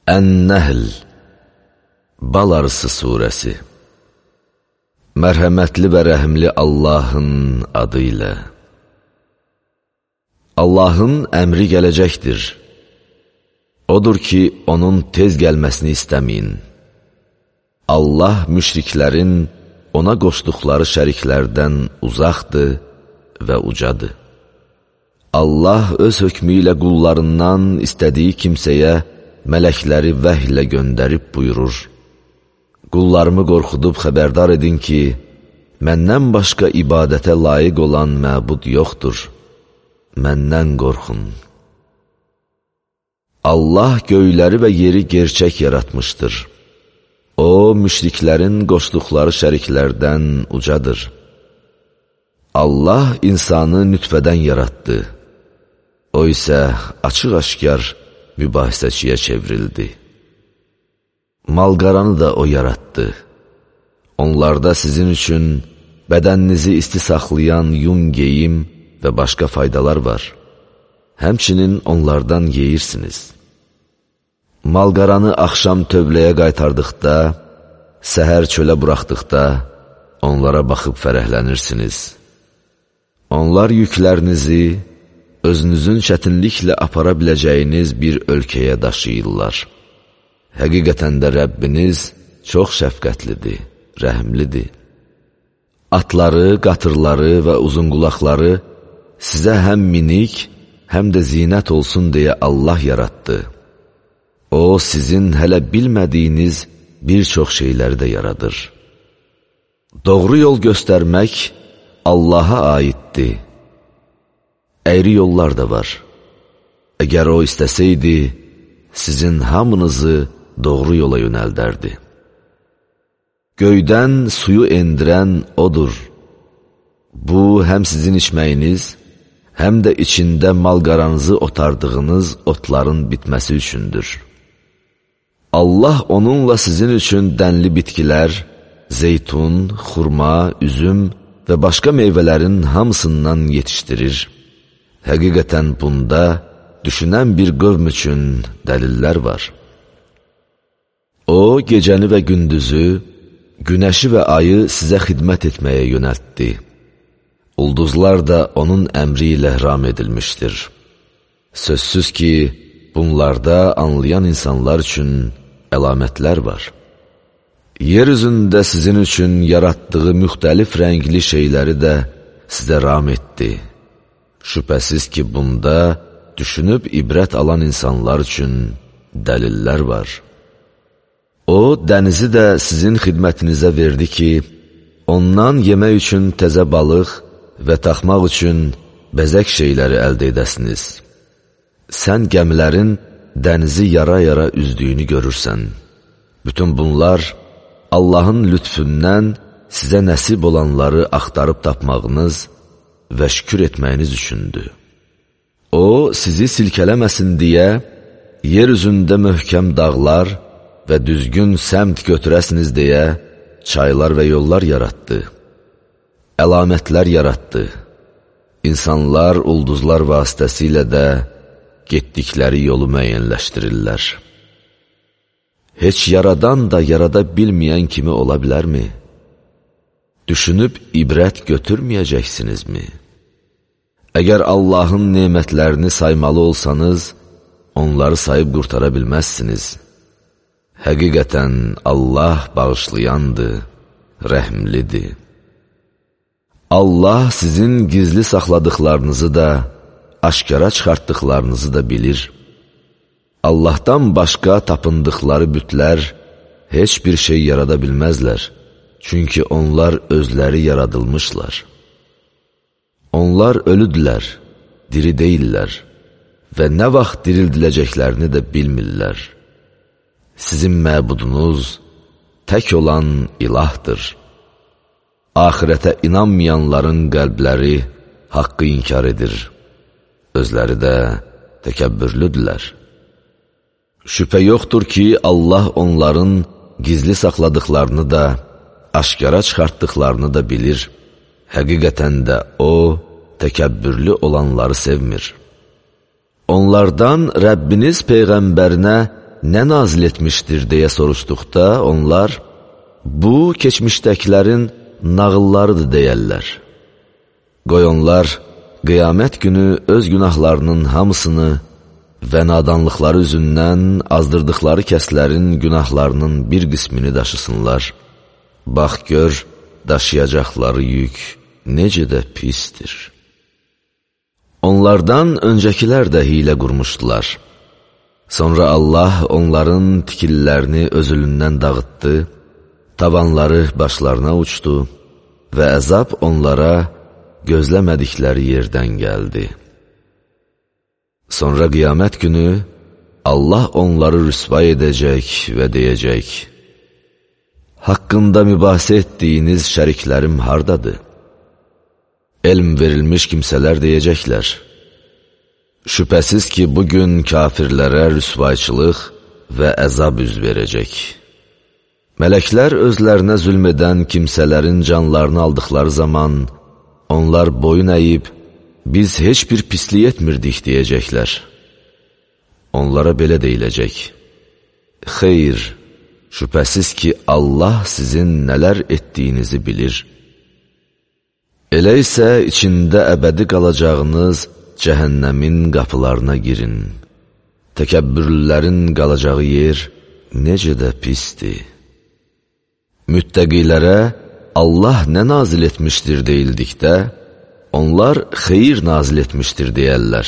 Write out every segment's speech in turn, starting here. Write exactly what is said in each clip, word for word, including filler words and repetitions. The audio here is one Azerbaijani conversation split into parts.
Ən-Nəhl Bal Arısı surəsi. Mərhəmətli və rəhimli Allahın adı ilə. Allahın əmri gələcəkdir. Odur ki, onun tez gəlməsini istəməyin. Allah müşriklərin ona qoşduqları şəriklərdən uzaqdır və ucadır. Allah öz hökmü ilə qullarından istədiyi kimsəyə mələkləri vəhlə göndərib buyurur. Qullarımı qorxudub xəbərdar edin ki, məndən başqa ibadətə layiq olan məbud yoxdur. Məndən qorxun. Allah göyləri və yeri gerçək yaratmışdır. O, müşriklərin qoşduqları şəriklərdən ucadır. Allah insanı nütfədən yaratdı. O isə açıq-aşkar mübahisəçiyə çevrildi. Malqaranı da o yaratdı. Onlarda sizin üçün bədəninizi isti saxlayan yun geyim və başqa faydalar var. Həmçinin onlardan yeyirsiniz. Malqaranı axşam tövləyə qaytardıqda, səhər çölə buraxdıqda, onlara baxıb fərəhlənirsiniz. Onlar yüklərinizi özünüzün çətinliklə apara biləcəyiniz bir ölkəyə daşıyırlar. Həqiqətən də Rəbbiniz çox şəfqətlidir, rəhimlidir. Atları, qatırları və uzunqulaqları sizə həm minik, həm də zinət olsun deyə Allah yaratdı. O, sizin hələ bilmədiyiniz bir çox şeyləri də yaradır. Doğru yol göstərmək Allaha aiddir. Əyri yollar da var. Əgər o istəsəydi, sizin hamınızı doğru yola yönəldərdi. Göydən suyu endirən odur. Bu, həm sizin içməyiniz, həm də içində malqaranızı otardığınız otların bitməsi üçündür. Allah onunla sizin üçün dənli bitkilər, zeytun, xurma, üzüm və başqa meyvələrin hamısından yetişdirir. Həqiqətən bunda düşünən bir qövm üçün dəlillər var. O, gecəni və gündüzü, günəşi və ayı sizə xidmət etməyə yönəltdi. Ulduzlar da onun əmri ilə ram edilmişdir. Sözsüz ki, bunlarda anlayan insanlar üçün əlamətlər var. Yer üzündə sizin üçün yaratdığı müxtəlif rəngli şeyləri də sizə ram etdi. Şübhəsiz ki, bunda düşünüb ibrət alan insanlar üçün dəlillər var. O, dənizi də sizin xidmətinizə verdi ki, ondan yemək üçün təzə balıq və taxmaq üçün bəzək şeyləri əldə edəsiniz. Sən gəmilərin dənizi yara-yara üzdüyünü görürsən. Bütün bunlar Allahın lütfündən sizə nəsib olanları axtarıb tapmağınız və şükür etməyiniz üçündür. O, sizi silkələməsin deyə yer üzündə möhkəm dağlar və düzgün səmt götürəsiniz deyə çaylar və yollar yaratdı. Əlamətlər yaratdı. İnsanlar ulduzlar vasitəsilə də getdikləri yolu müəyyənləşdirirlər. Heç yaradan da yarada bilməyən kimi ola bilərmi? Düşünüb ibrət götürməyəcəksinizmi? Əgər Allahın nemətlərini saymalı olsanız, onları sayıb qurtara bilməzsiniz. Həqiqətən Allah bağışlayandır, rəhimlidir. Allah sizin gizli saxladıqlarınızı da, aşkara çıxartdıqlarınızı da bilir. Allahdan başqa tapındıqları bütlər heç bir şey yarada bilməzlər. Çünki onlar özləri yaradılmışlar. Onlar ölüdülər, diri deyillər və nə vaxt dirildiləcəklərini də bilmirlər. Sizin məbudunuz tək olan ilahdır. Ahirətə inanmayanların qəlbləri haqqı inkar edir. Özləri də təkəbbürlüdülər. Şübhə yoxdur ki, Allah onların gizli saxladıqlarını da, aşkara çıxartdıqlarını da bilir. Həqiqətən də O, təkəbbürlü olanları sevmir. Onlardan Rəbbiniz Peyğəmbərinə nə nazil etmişdir deyə soruşduqda onlar, bu keçmişdəkilərin nağıllarıdır deyərlər. Qoy onlar qiyamət günü öz günahlarının hamısını və nadanlıqları üzündən azdırdıqları kəslərin günahlarının bir qismini daşısınlar. Bax gör, daşıyacaqları yük necə də pistir. Onlardan öncəkilər də hilə qurmuşdular. Sonra Allah onların tikillərini özülündən dağıtdı, tavanları başlarına uçdu və əzab onlara gözləmədikləri yerdən gəldi. Sonra qiyamət günü Allah onları rüsva edəcək və deyəcək, haqqında mübahisə etdiyiniz şəriklərim hardadır? Elm verilmiş kimsələr deyəcəklər, şübhəsiz ki, bugün kafirlərə rüsvayçılıq və əzab üz verəcək. Mələklər özlərinə zülm edən kimsələrin canlarını aldıqları zaman, onlar boyun əyib, biz heç bir pislik etmirdik deyəcəklər. Onlara belə deyiləcək, xeyr, şübhəsiz ki, Allah sizin nələr etdiyinizi bilir. Elə isə içində əbədi qalacağınız cəhənnəmin qapılarına girin. Təkəbbürlərin qalacağı yer necə də pisdir. Müttəqilərə Allah nə nazil etmişdir deyildikdə, onlar xeyir nazil etmişdir deyərlər.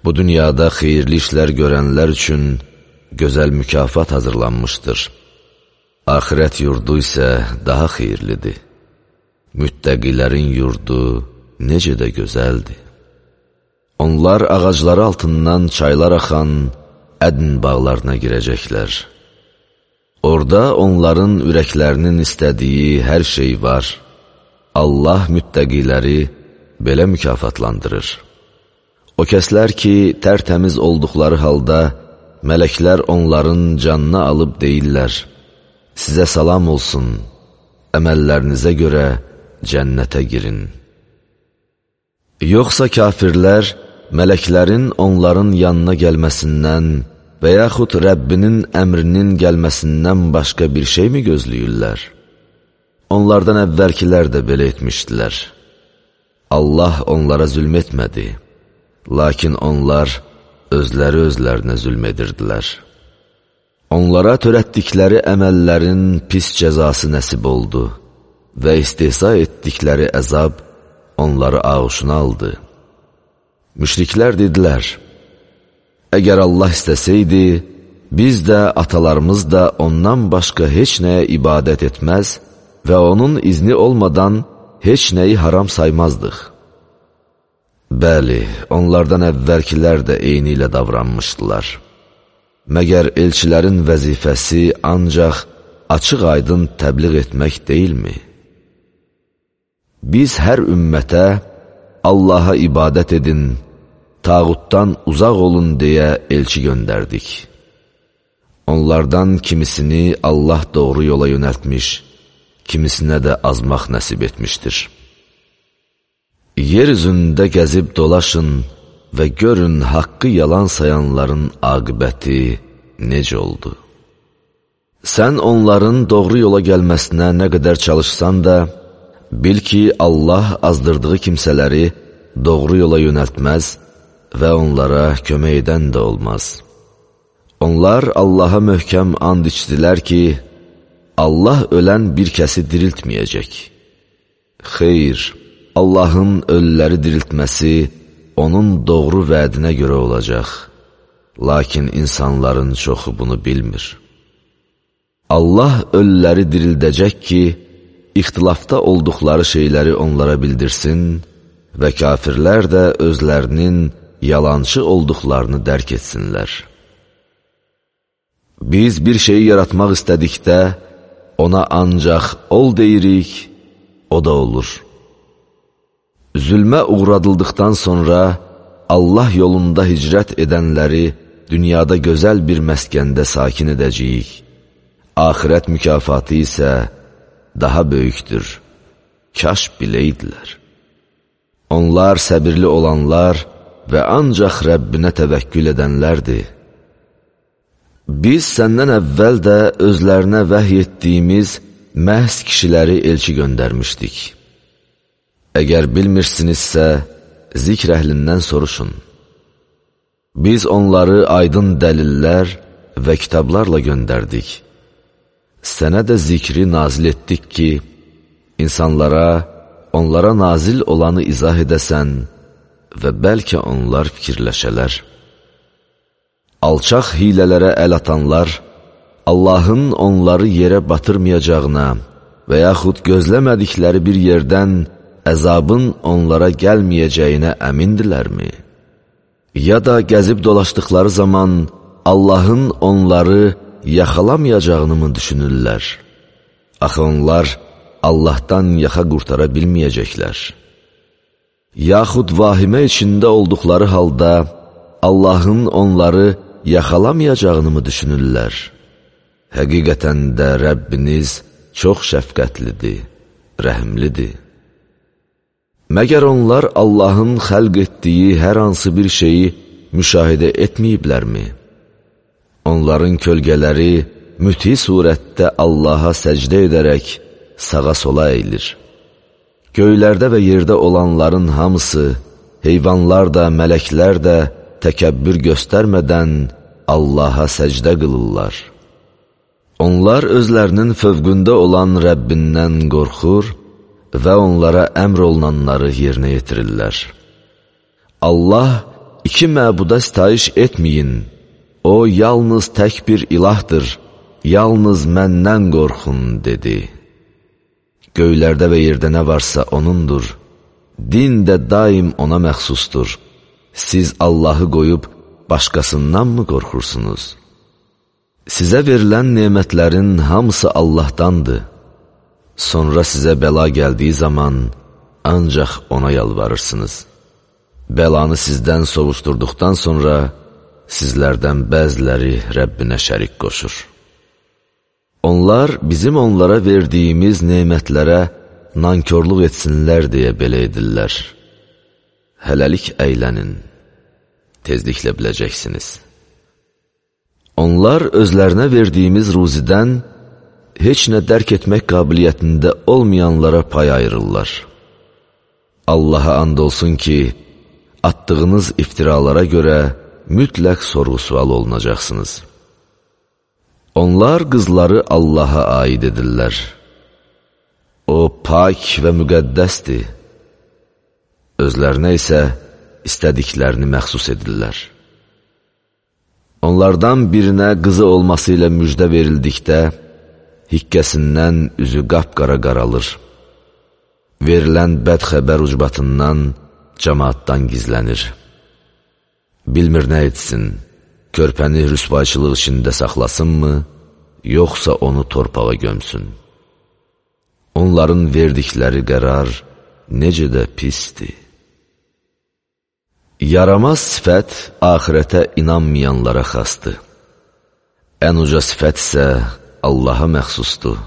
Bu dünyada xeyirli işlər görənlər üçün gözəl mükafat hazırlanmışdır. Axirət yurdu isə daha xeyirlidir. Müttəqilərin yurdu necə də gözəldir. Onlar ağacları altından çaylar axan ədn bağlarına girəcəklər. Orada onların ürəklərinin istədiyi hər şey var. Allah müttəqiləri belə mükafatlandırır. O kəslər ki, tərtəmiz olduqları halda, mələklər onların canını alıb deyirlər, sizə salam olsun, əməllərinizə görə cənnətə girin. Yoxsa kafirlər, mələklərin onların yanına gəlməsindən və yaxud Rəbbinin əmrinin gəlməsindən başqa bir şey mi gözləyirlər? Onlardan əvvəlkilər də belə etmişdilər. Allah onlara zülm etmədi, lakin onlar özləri özlərinə zülm edirdilər. Onlara törətdikləri əməllərin pis cəzası nəsib oldu və istehza etdikləri əzab onları ağuşuna aldı. Müşriklər dedilər, əgər Allah istəsəydi, biz də, atalarımız da ondan başqa heç nəyə ibadət etməz və onun izni olmadan heç nəyi haram saymazdıq. Bəli, onlardan əvvəlkilər də eyni ilə davranmışdılar. Məgər elçilərin vəzifəsi ancaq açıq-aydın təbliğ etmək deyilmi? Biz hər ümmətə Allaha ibadət edin, tağutdan uzaq olun deyə elçi göndərdik. Onlardan kimisini Allah doğru yola yönəltmiş, kimisinə də azmaq nəsib etmişdir. Yer üzündə gəzib dolaşın və görün haqqı yalan sayanların aqibəti necə oldu. Sən onların doğru yola gəlməsinə nə qədər çalışsan da, bil ki, Allah azdırdığı kimsələri doğru yola yönəltməz və onlara kömək edən də olmaz. Onlar Allaha möhkəm and içdilər ki, Allah ölən bir kəsi diriltməyəcək. Xeyr, Allahın ölüləri diriltməsi onun doğru vədinə görə olacaq. Lakin insanların çoxu bunu bilmir. Allah ölüləri dirildəcək ki, ixtilafda olduqları şeyləri onlara bildirsin və kafirlər də özlərinin yalançı olduqlarını dərk etsinlər. Biz bir şeyi yaratmaq istədikdə, ona ancaq ol deyirik, o da olur. Zülmə uğradıldıqdan sonra Allah yolunda hicrət edənləri dünyada gözəl bir məskəndə sakin edəcəyik. Axirət mükafatı isə daha böyükdür. Kaş biləydilər. Onlar səbirli olanlar və ancaq Rəbbinə təvəkkül edənlərdir. Biz səndən əvvəl də özlərinə vəhy etdiyimiz məhz kişiləri elçi göndərmişdik. Əgər bilmirsinizsə, zikr əhlindən soruşun. Biz onları aydın dəlillər və kitablarla göndərdik. Sənə də zikri nazil etdik ki, insanlara, onlara nazil olanı izah edəsən və bəlkə onlar fikirləşələr. Alçaq hilələrə əl atanlar, Allahın onları yerə batırmayacağına və yaxud gözləmədikləri bir yerdən əzabın onlara gəlməyəcəyinə əmindilərmi? Ya da gəzib dolaşdıqları zaman Allahın onları yaxalamayacağını mı düşünürlər? Axı onlar Allahdan yaxa qurtara bilməyəcəklər. Yaxud vahimə içində olduqları halda Allahın onları yaxalamayacağını mı düşünürlər? Həqiqətən də Rəbbiniz çox şəfqətlidir, rəhimlidir. Məgər onlar Allahın xəlq etdiyi hər hansı bir şeyi müşahidə etməyiblərmi? Onların kölgələri müti surətdə Allaha səcdə edərək sağa sola əyilir. Göylərdə və yerdə olanların hamısı, heyvanlar da, mələklər də təkəbbür göstərmədən Allaha səcdə qılırlar. Onlar özlərinin fövqündə olan Rəbbindən qorxur və onlara əmr olunanları yerinə yetirirlər. Allah iki məbuda sitayiş etməyin, o yalnız tək bir ilahdır, yalnız məndən qorxun, dedi. Göylərdə və yerdə nə varsa onundur, din də daim ona məxsusdur. Siz Allahı qoyub başqasından mı qorxursunuz? Sizə verilən nemətlərin hamısı Allahdandır. Sonra sizə bəla gəldiyi zaman ancaq ona yalvarırsınız. Bəlanı sizdən sovuşturduqdan sonra sizlərdən bəziləri Rəbbinə şərik qoşur. Onlar bizim onlara verdiyimiz nemətlərə nankörlük etsinlər deyə belə edirlər. Hələlik əylənin, tezliklə biləcəksiniz. Onlar özlərinə verdiyimiz ruzidən heç nə dərk etmək qabiliyyətində olmayanlara pay ayırırlar. Allaha and olsun ki, atdığınız iftiralara görə mütləq sorğu-sual olunacaqsınız. Onlar qızları Allaha aid edirlər. O, pak və müqəddəsdir. Özlərinə isə istədiklərini məxsus edirlər. Onlardan birinə qızı olması ilə müjdə verildikdə, hikkəsindən üzü qapqara qaralır. Verilən bəd xəbər ucbatından cəmaatdan gizlənir. Bilmir nə etsin, körpəni rüsvayçılıq içində saxlasınmı, yoxsa onu torpağa gömsün. Onların verdikləri qərar necə də pisdir. Yaramaz sifət axirətə inanmayanlara xasdır. Ən uca sifət isə Allaha məxsusdur.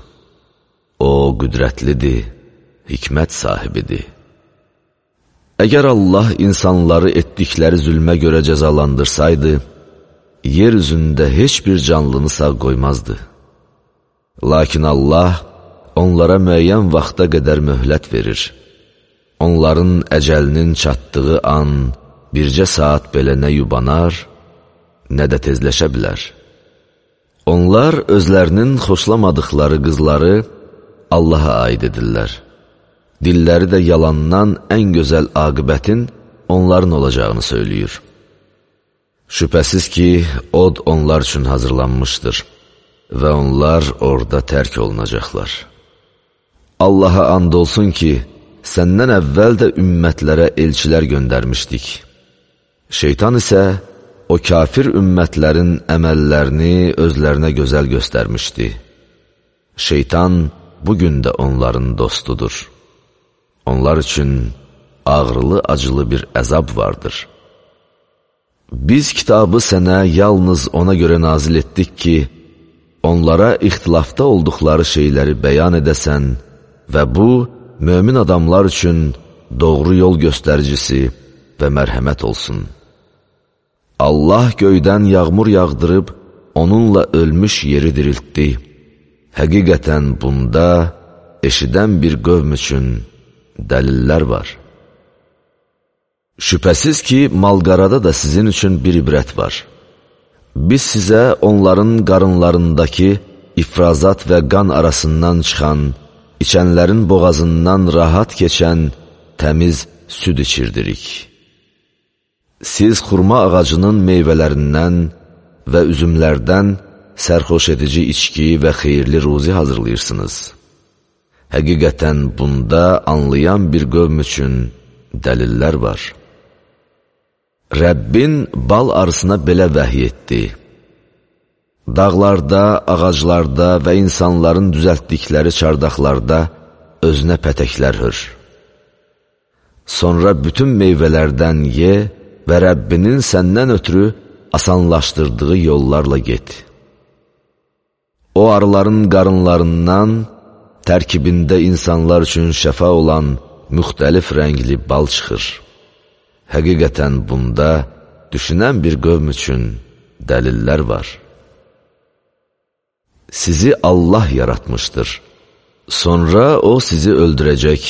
O, qüdrətlidir, hikmət sahibidir. Əgər Allah insanları etdikləri zülmə görə cəzalandırsaydı, yer üzündə heç bir canlını sağ qoymazdı. Lakin Allah onlara müəyyən vaxta qədər möhlət verir. Onların əcəlinin çatdığı an bircə saat belə nə yubanar, nə də tezləşə bilər. Onlar özlərinin xoşlamadıqları qızları Allaha aid edirlər. Dilləri də yalandan ən gözəl aqibətin onların olacağını söyləyir. Şübhəsiz ki, od onlar üçün hazırlanmışdır və onlar orada tərk olunacaqlar. Allaha and olsun ki, səndən əvvəl də ümmətlərə elçilər göndərmişdik. Şeytan isə o kafir ümmətlərin əməllərini özlərinə gözəl göstərmişdi. Şeytan bugün də onların dostudur. Onlar üçün ağrılı-acılı bir əzab vardır. Biz kitabı sənə yalnız ona görə nazil etdik ki, onlara ixtilafda olduqları şeyləri bəyan edəsən və bu, mömin adamlar üçün doğru yol göstəricisi və mərhəmət olsun. Allah göydən yağmur yağdırıb, onunla ölmüş yeri diriltdi. Həqiqətən bunda eşidən bir qövm üçün dəlillər var. Şübhəsiz ki, malqarada da sizin üçün bir ibrət var. Biz sizə onların qarınlarındakı ifrazat və qan arasından çıxan, içənlərin boğazından rahat keçən təmiz süd içirdirik. Siz xurma ağacının meyvələrindən və üzümlərdən sərxoş edici içki və xeyirli ruzi hazırlayırsınız. Həqiqətən bunda anlayan bir qövm üçün dəlillər var. Rəbbin bal arısına belə vəhiy etdi. Dağlarda, ağaclarda və insanların düzəltdikləri çardaqlarda özünə pətəklər hör. Sonra bütün meyvələrdən ye və Rəbbinin səndən ötürü asanlaşdırdığı yollarla get. O arıların qarınlarından tərkibində insanlar üçün şəfa olan müxtəlif rəngli bal çıxır. Həqiqətən bunda düşünən bir qövm üçün dəlillər var. Sizi Allah yaratmışdır. Sonra O sizi öldürəcək.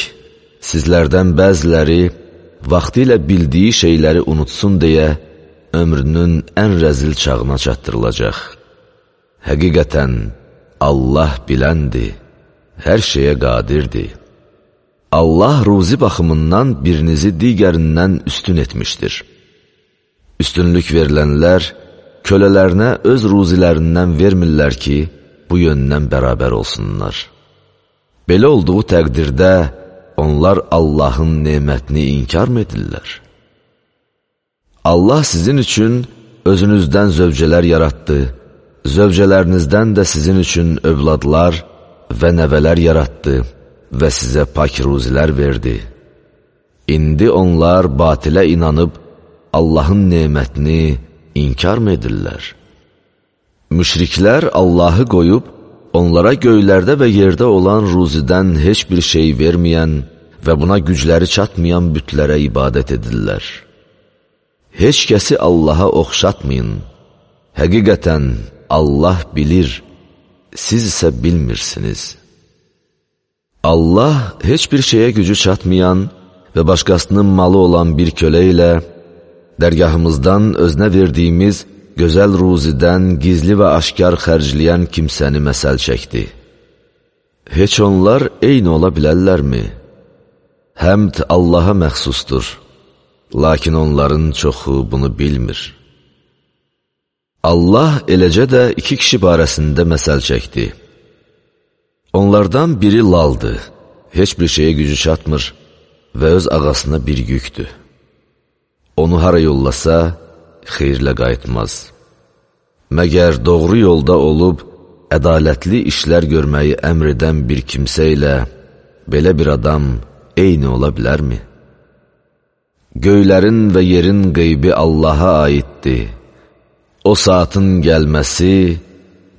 Sizlərdən bəziləri vaxtı ilə bildiyi şeyləri unutsun deyə ömrünün ən rəzil çağına çatdırılacaq. Həqiqətən Allah biləndir, hər şeyə qadirdir. Allah ruzi baxımından birinizi digərindən üstün etmişdir. Üstünlük verilənlər kölələrinə öz ruzilərindən vermirlər ki, bu yöndən bərabər olsunlar. Belə olduğu təqdirdə onlar Allahın nemətini inkar mı edirlər? Allah sizin üçün özünüzdən zövcələr yaratdı, zövcələrinizdən də sizin üçün övladlar və nəvələr yaratdı və sizə pak ruzilər verdi. İndi onlar batilə inanıb Allahın nemətini inkar mı edirlər? Müşriklər Allahı qoyub, onlara göylərdə və yerdə olan ruzidən heç bir şey verməyən və buna gücləri çatmayan bütlərə ibadət edirlər. Heç kəsi Allaha oxşatmayın. Həqiqətən Allah bilir, siz isə bilmirsiniz. Allah heç bir şeyə gücü çatmayan və başqasının malı olan bir kölə ilə dərgahımızdan özünə verdiyimiz gözəl ruzidən gizli və aşkar xərcləyən kimsəni məsəl çəkdi. Heç onlar eyni ola bilərlərmi? Həmd Allaha məxsusdur, lakin onların çoxu bunu bilmir. Allah eləcə də iki kişi barəsində məsəl çəkdi. Onlardan biri laldır, heç bir şeyə gücü çatmır və öz ağasına bir yükdür. Onu hara yollasa, xeyirlə qayıtmaz. Məgər doğru yolda olub, ədalətli işlər görməyi əmr edən bir kimsə ilə belə bir adam eyni ola bilərmi? Göylərin və yerin qeybi Allaha aiddir. O saatın gəlməsi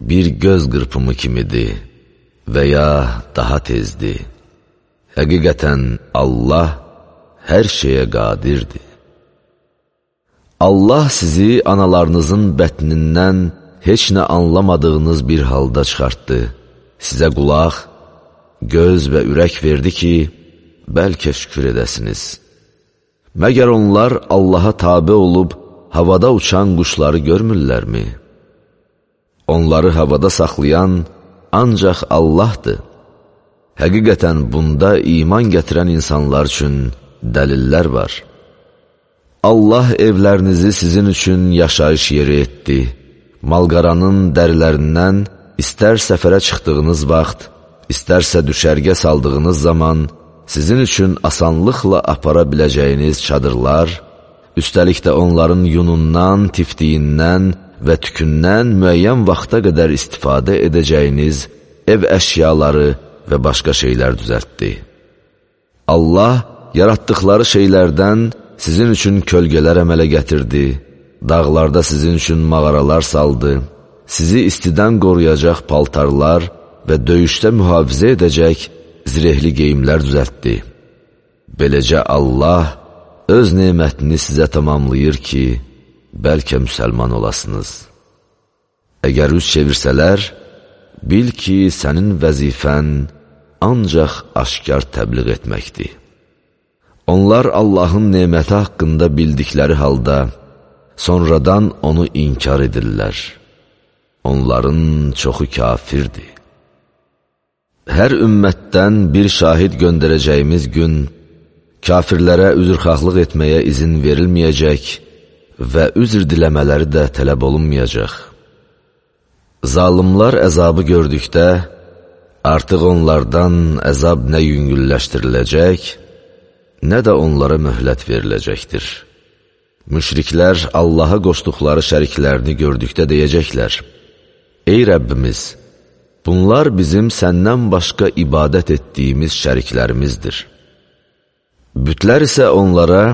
bir göz qırpımı kimidir və ya daha tezdir. Həqiqətən Allah hər şeyə qadirdir. Allah sizi analarınızın bətnindən heç nə anlamadığınız bir halda çıxartdı. Sizə qulaq, göz və ürək verdi ki, bəlkə şükür edəsiniz. Məgər onlar Allaha tabe olub, havada uçan quşları görmürlərmi? Onları havada saxlayan ancaq Allahdır. Həqiqətən bunda iman gətirən insanlar üçün dəlillər var. Allah evlərinizi sizin üçün yaşayış yeri etdi. Malqaranın dərilərindən istər səfərə çıxdığınız vaxt, istərsə düşərgə saldığınız zaman sizin üçün asanlıqla apara biləcəyiniz çadırlar, üstəlik də onların yunundan, tiftiyindən və tükündən müəyyən vaxta qədər istifadə edəcəyiniz ev əşyaları və başqa şeylər düzəltdi. Allah yaratdıqları şeylərdən sizin üçün kölgələr əmələ gətirdi, dağlarda sizin üçün mağaralar saldı, sizi istidən qoruyacaq paltarlar və döyüşdə mühafizə edəcək zirehli geyimlər düzəltdi. Beləcə Allah öz nemətini sizə tamamlayır ki, bəlkə müsəlman olasınız. Əgər üz çevirsələr, bil ki, sənin vəzifən ancaq aşkar təbliğ etməkdir. Onlar Allahın neməti haqqında bildikləri halda, sonradan onu inkar edirlər. Onların çoxu kafirdir. Hər ümmətdən bir şahid göndərəcəyimiz gün, kafirlərə üzrxahlıq etməyə izin verilməyəcək və üzr diləmələri də tələb olunmayacaq. Zalimlar əzabı gördükdə, artıq onlardan əzab nə yüngülləşdiriləcək, nə də onlara möhlət veriləcəkdir. Müşriklər Allaha qoşduqları şəriklərini gördükdə deyəcəklər: Ey Rəbbimiz, bunlar bizim səndən başqa ibadət etdiyimiz şəriklərimizdir. Bütlər isə onlara,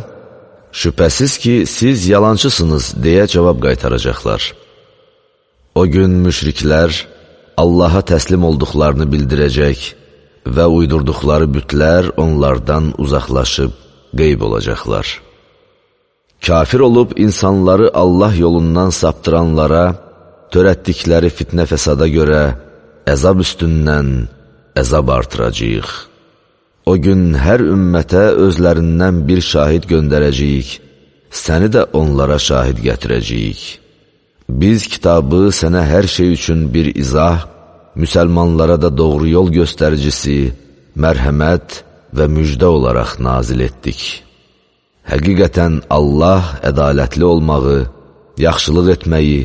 şübhəsiz ki, siz yalancısınız deyə cavab qaytaracaqlar. O gün müşriklər Allaha təslim olduqlarını bildirəcək və uydurduqları bütlər onlardan uzaqlaşıb qeyb olacaqlar. Kafir olub insanları Allah yolundan saptıranlara törətdikləri fitnə fəsada görə əzab üstündən əzab artıracağıq. O gün hər ümmətə özlərindən bir şahid göndərəcəyik, səni də onlara şahid gətirəcəyik. Biz kitabı sənə hər şey üçün bir izah, müsəlmanlara da doğru yol göstəricisi, mərhəmət və müjdə olaraq nazil etdik. Həqiqətən Allah ədalətli olmağı, yaxşılıq etməyi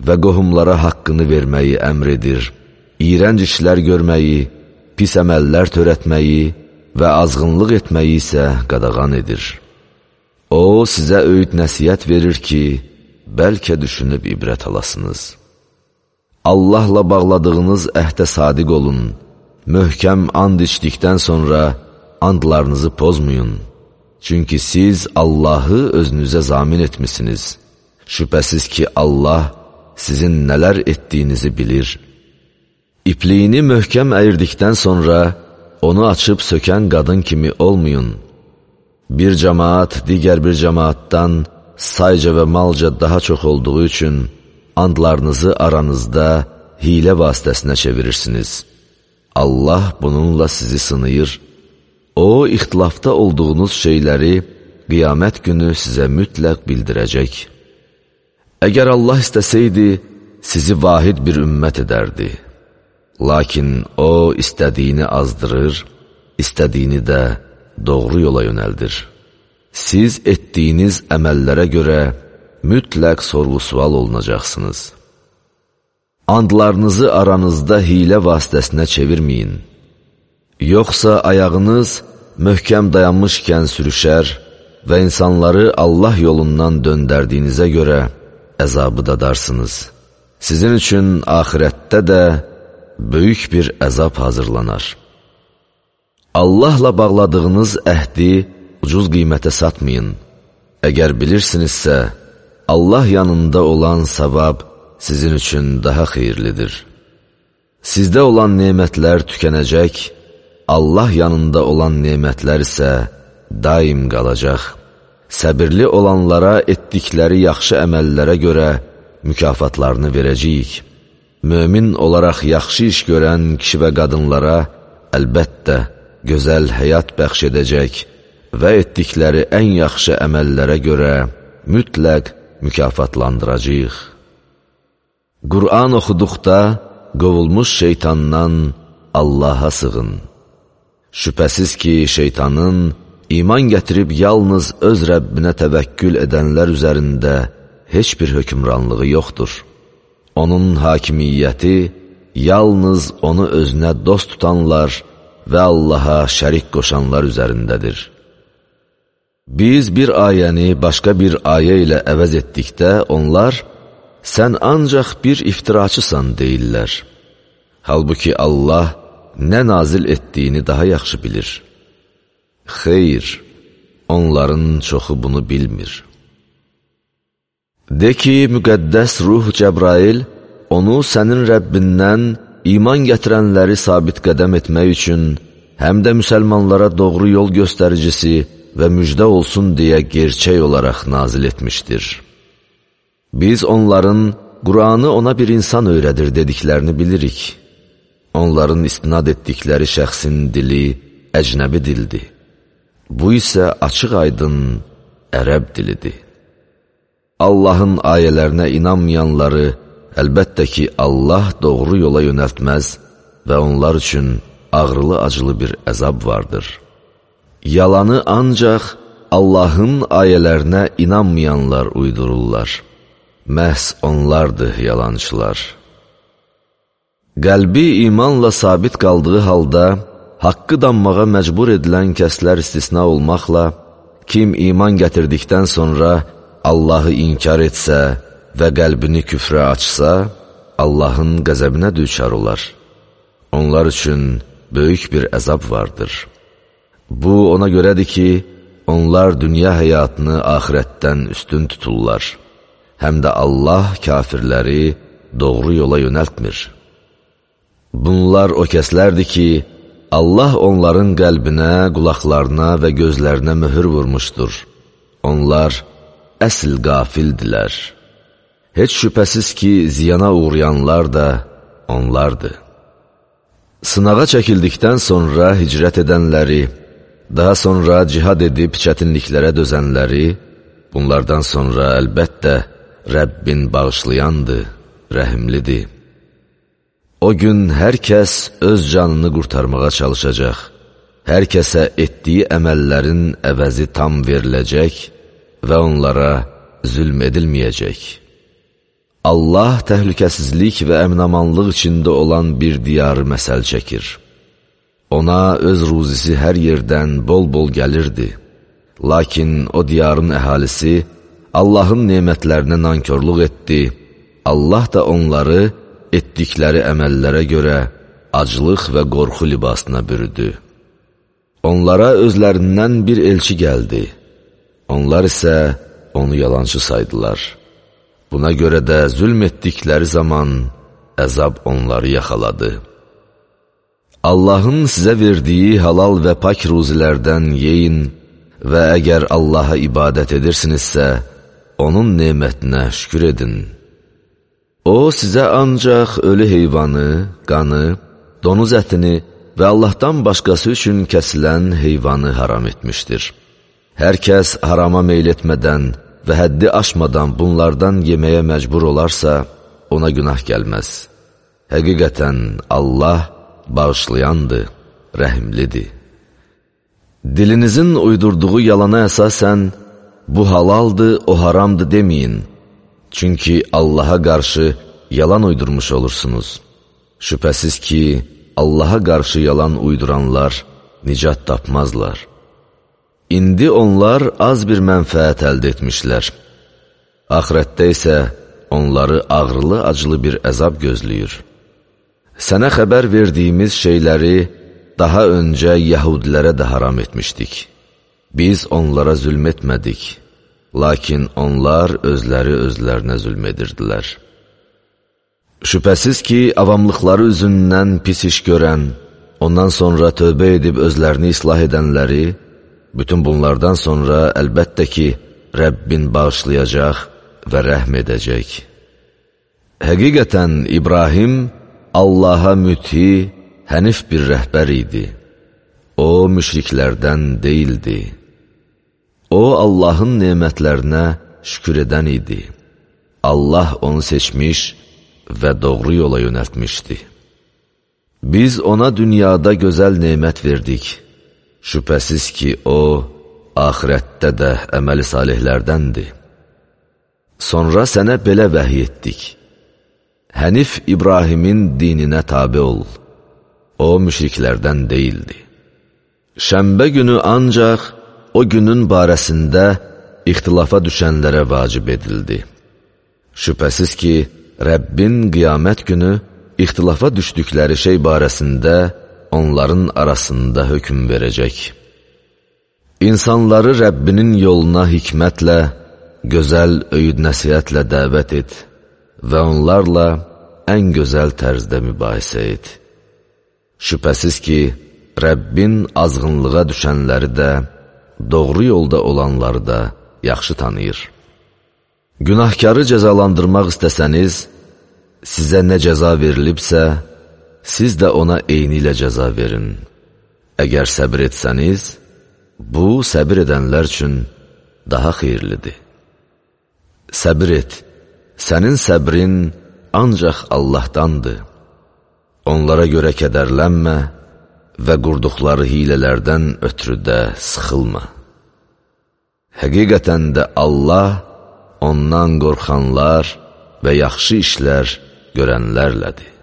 və qohumlara haqqını verməyi əmr edir, iyrənc işlər görməyi, pis əməllər törətməyi və azğınlıq etməyi isə qadağan edir. O, sizə öyüd nəsihət verir ki, bəlkə düşünüb ibrət alasınız. Allahla bağladığınız əhdə sadiq olun, möhkəm and içdikdən sonra andlarınızı pozmayın. Çünki siz Allahı özünüzə zamin etmişsiniz. Şübhəsiz ki, Allah sizin nələr etdiyinizi bilir. İpliyini möhkəm əyirdikdən sonra onu açıb sökən qadın kimi olmayın. Bir cəmaat digər bir cəmaatdan sayca və malca daha çox olduğu üçün andlarınızı aranızda hilə vasitəsinə çevirirsiniz. Allah bununla sizi sınayır. O, ixtilafda olduğunuz şeyləri qiyamət günü sizə mütləq bildirəcək. Əgər Allah istəsəydi, sizi vahid bir ümmət edərdi. Lakin O, istədiyini azdırır, istədiyini də doğru yola yönəldir. Siz etdiyiniz əməllərə görə mütləq sorğu-sual olunacaqsınız. Andlarınızı aranızda hilə vasitəsinə çevirməyin. Yoxsa ayağınız möhkəm dayanmışkən sürüşər və insanları Allah yolundan döndərdiyinizə görə əzabı dadarsınız. Sizin üçün axirətdə də böyük bir əzab hazırlanar. Allahla bağladığınız əhdi ucuz qiymətə satmayın. Əgər bilirsinizsə, Allah yanında olan savab sizin üçün daha xeyirlidir. Sizdə olan nemətlər tükənəcək, Allah yanında olan nemətlər isə daim qalacaq. Səbirli olanlara etdikləri yaxşı əməllərə görə mükafatlarını verəcəyik. Mömin olaraq yaxşı iş görən kişi və qadınlara əlbəttə gözəl həyat bəxş edəcək və etdikləri ən yaxşı əməllərə görə mütləq mükafatlandıracağıq. Qur'an oxuduqda qovulmuş şeytandan Allaha sığın. Şübhəsiz ki, şeytanın iman gətirib yalnız öz Rəbbinə təvəkkül edənlər üzərində heç bir hökmranlığı yoxdur. Onun hakimiyyəti yalnız onu özünə dost tutanlar və Allaha şərik qoşanlar üzərindədir. Biz bir ayəni başqa bir ayə ilə əvəz etdikdə onlar, sən ancaq bir iftiraçısan deyirlər. Halbuki Allah nə nazil etdiyini daha yaxşı bilir. Xeyr, onların çoxu bunu bilmir. De ki, müqəddəs ruh Cəbrail onu sənin Rəbbindən iman gətirənləri sabit qədəm etmək üçün həm də müsəlmanlara doğru yol göstəricisi və müjdə olsun deyə gerçək olaraq nazil etmişdir. Biz onların Qur'anı ona bir insan öyrədir dediklərini bilirik. Onların istinad etdikləri şəxsin dili əcnəbi dildir. Bu isə açıq-aydın ərəb dilidir. Allahın ayələrinə inanmayanları əlbəttə ki, Allah doğru yola yönəltməz və onlar üçün ağrılı-acılı bir əzab vardır. Yalanı ancaq Allahın ayələrinə inanmayanlar uydururlar. Məhz onlardır yalançılar. Qəlbi imanla sabit qaldığı halda, haqqı danmağa məcbur edilən kəslər istisna olmaqla, kim iman gətirdikdən sonra Allahı inkar etsə və qəlbini küfrə açsa, Allahın qəzəbinə düçar olar. Onlar üçün böyük bir əzab vardır. Bu, ona görədir ki, onlar dünya həyatını axirətdən üstün tuturlar. Həm də Allah kafirləri doğru yola yönəltmir. Bunlar o kəslərdir ki, Allah onların qəlbinə, qulaqlarına və gözlərinə möhür vurmuşdur. Onlar əsl qafildilər. Heç şübhəsiz ki, ziyana uğrayanlar da onlardır. Sınağa çəkildikdən sonra hicrət edənləri, daha sonra cihad edib çətinliklərə dözənləri, bunlardan sonra əlbəttə Rəbbin bağışlayandır, rəhimlidir. O gün hər kəs öz canını qurtarmağa çalışacaq, hər kəsə etdiyi əməllərin əvəzi tam veriləcək və onlara zülm edilməyəcək. Allah təhlükəsizlik və əminamanlıq içində olan bir diyarı məsəl çəkir. Ona öz ruzisi hər yerdən bol-bol gəlirdi. Lakin o diyarın əhalisi Allahın nemətlərinə nankörlük etdi. Allah da onları etdikləri əməllərə görə aclıq və qorxu libasına bürüdü. Onlara özlərindən bir elçi gəldi. Onlar isə onu yalancı saydılar. Buna görə də zülm etdikləri zaman əzab onları yaxaladı. Allahın sizə verdiyi halal və pak ruzilərdən yeyin və əgər Allaha ibadət edirsinizsə, onun nemətinə şükür edin. O, sizə ancaq ölü heyvanı, qanı, donuz ətini və Allahdan başqası üçün kəsilən heyvanı haram etmişdir. Hər kəs harama meyl etmədən və həddi aşmadan bunlardan yeməyə məcbur olarsa, ona günah gəlməz. Həqiqətən Allah bağışlayandır, rəhimlidir. Dilinizin uydurduğu yalana əsasən, bu halaldır, o haramdır deməyin. Çünki Allaha qarşı yalan uydurmuş olursunuz. Şübhəsiz ki, Allaha qarşı yalan uyduranlar nicat tapmazlar. İndi onlar az bir mənfəət əldə etmişlər. Axirətdə isə onları ağrılı-acılı bir əzab gözləyir. Sənə xəbər verdiyimiz şeyləri daha öncə yəhudilərə də haram etmişdik. Biz onlara zülm etmədik, lakin onlar özləri özlərinə zülm edirdilər. Şübhəsiz ki, avamlıqları üzündən pis iş görən, ondan sonra tövbə edib özlərini islah edənləri, bütün bunlardan sonra əlbəttə ki, Rəbbin bağışlayacaq və rəhm edəcək. Həqiqətən İbrahim Allaha müti, hənif bir rəhbər idi. O, müşriklərdən deyildi. O, Allahın nemətlərinə şükür edən idi. Allah onu seçmiş və doğru yola yönəltmişdi. Biz ona dünyada gözəl nemət verdik. Şübhəsiz ki, o, axirətdə də əməli salihlərdəndir. Sonra sənə belə vəhiy etdik. Hənif İbrahimin dininə tabi ol. O, müşriklərdən deyildi. Şənbə günü ancaq o günün barəsində ixtilafa düşənlərə vacib edildi. Şübhəsiz ki, Rəbbin qiyamət günü ixtilafa düşdükləri şey barəsində onların arasında hökm verəcək. İnsanları Rəbbinin yoluna hikmətlə, gözəl öyüd nəsihətlə dəvət et və onlarla ən gözəl tərzdə mübahisə et. Şübhəsiz ki, Rəbbin azğınlığa düşənləri də, doğru yolda olanları da yaxşı tanıyır. Günahkarı cəzalandırmaq istəsəniz, sizə nə cəza verilibsə, siz də ona eyni ilə cəza verin. Əgər səbir etsəniz, bu, səbir edənlər üçün daha xeyirlidir. Səbir et, sənin səbrin ancaq Allahdandır. Onlara görə kədərlənmə və qurduqları hilələrdən ötürü də sıxılma. Həqiqətən də Allah ondan qorxanlar və yaxşı işlər görənlərlədir.